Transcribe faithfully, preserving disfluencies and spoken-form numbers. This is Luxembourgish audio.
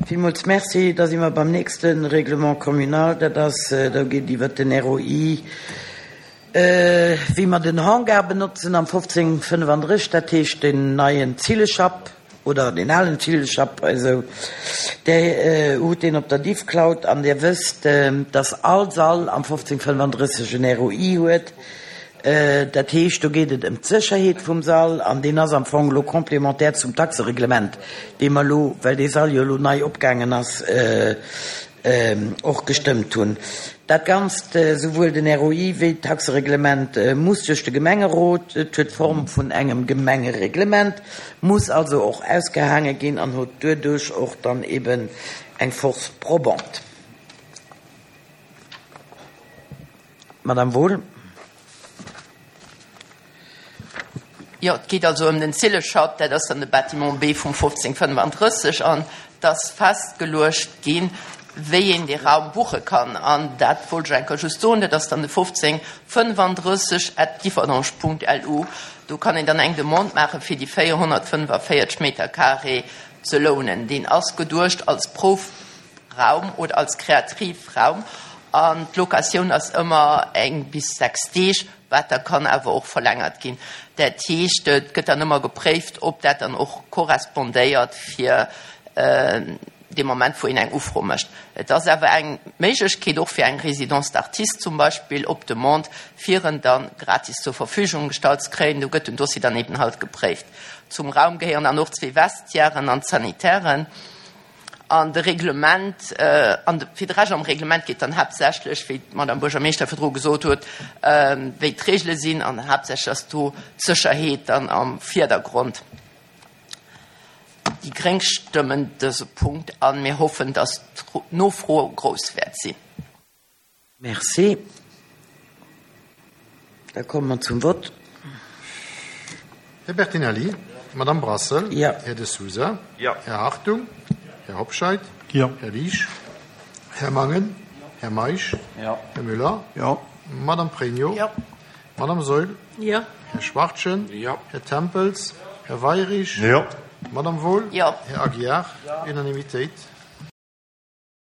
Villmools Merci. Da si mer beim nächste Règlement communal. Dat ass, do geet iwwer den R O I, wéi mer den Hangar benotzen am fofzéng fënnefandrësseg, dat heescht den neien Zilleschapp oder den alen Zilleschapp, also der hutt deen op der Diffcloud an Dir wësst, dass all Sall am fofzéng fënnefandrësseg en R O I huet. Dat heescht, do geet et ëm d'Sécherheet vum Sall an deen ass am Fong lo complémentaire zum Taxereglement, dee mer lo, well dee Sall jo lo nei opgaangen ass, och gestëmmt hunn. Dat Ganzt, souwuel den R O I wéi d'Taxereglement, muss duerch de Gemengerot. Et huet d'Form vun engem Gemengereglement, muss also och ausgehaange ginn an huet duerduerch och dann eben eng Force probante. Madame Wohl. Jo, et geet also ëm den Zilleschapp, dat ass dann de Bâtiment B vum fofzéng fënnefandrësseg, an et ass festgeluecht ginn, wéi een dee Raum buche kann. An dat wollt ech enker just soen, dat ass dann de fofzéng fënnefandrësseg at differdange Punkt L U. Do kann een dann eng Demande maachen, fir déi véierhonnertfënnefavierzeg Meter carré ze lounen. Deen ass geduecht als Proufraum oder als Kreativraum an d'Locatioun ass ëmmer eng bis sechs Deeg, wat da kann awer och verlängert ginn. Dat heescht, et gëtt dann ëmmer gepréift, ob dat dann och korrespondéiert fir dee Moment, wou een eng Ufro mécht. Et ass awer eng Méiglechkeet och fir eng Résidence d'artiste zum Beispill op Demande, fir en dann gratis zur Verfügung gestallt ze kréien. Do gëtt den Dossier dann eben halt gepréift. Zum Raum gehéieren dann och zwee Vestiairen an d'Sanitären. An de Reglement, an fir de Rescht am Reglement geet dann haaptsächlech, wéi d'Madame Buergermeeschter virdru gesot huet, wéi d'Regele sinn, an haaptsächlech ass do d'Sécherheet dann am Virdergrond. Déi Gréng stëmmen dëse Punkt an mir hoffen, dass d'Nofro grouss wäert sinn. Merci. Da komme mer zum Vott. Här Bertinelli? Madame Brassel? Ja. Här De Sousa? Ja. Här Hartung? Här Hobscheit? Ja. Här Liesch? Här Mangen? Här Meisch? Ja. Här Müller? Ja. Madame Pregno? Ja. Madame Saeul? Ja. Här Schwachtgen? Ja. Här Tempels? Här Weyrich? Ja. Madame Wohl? Ja. Här Aguiar? Unanimitéit.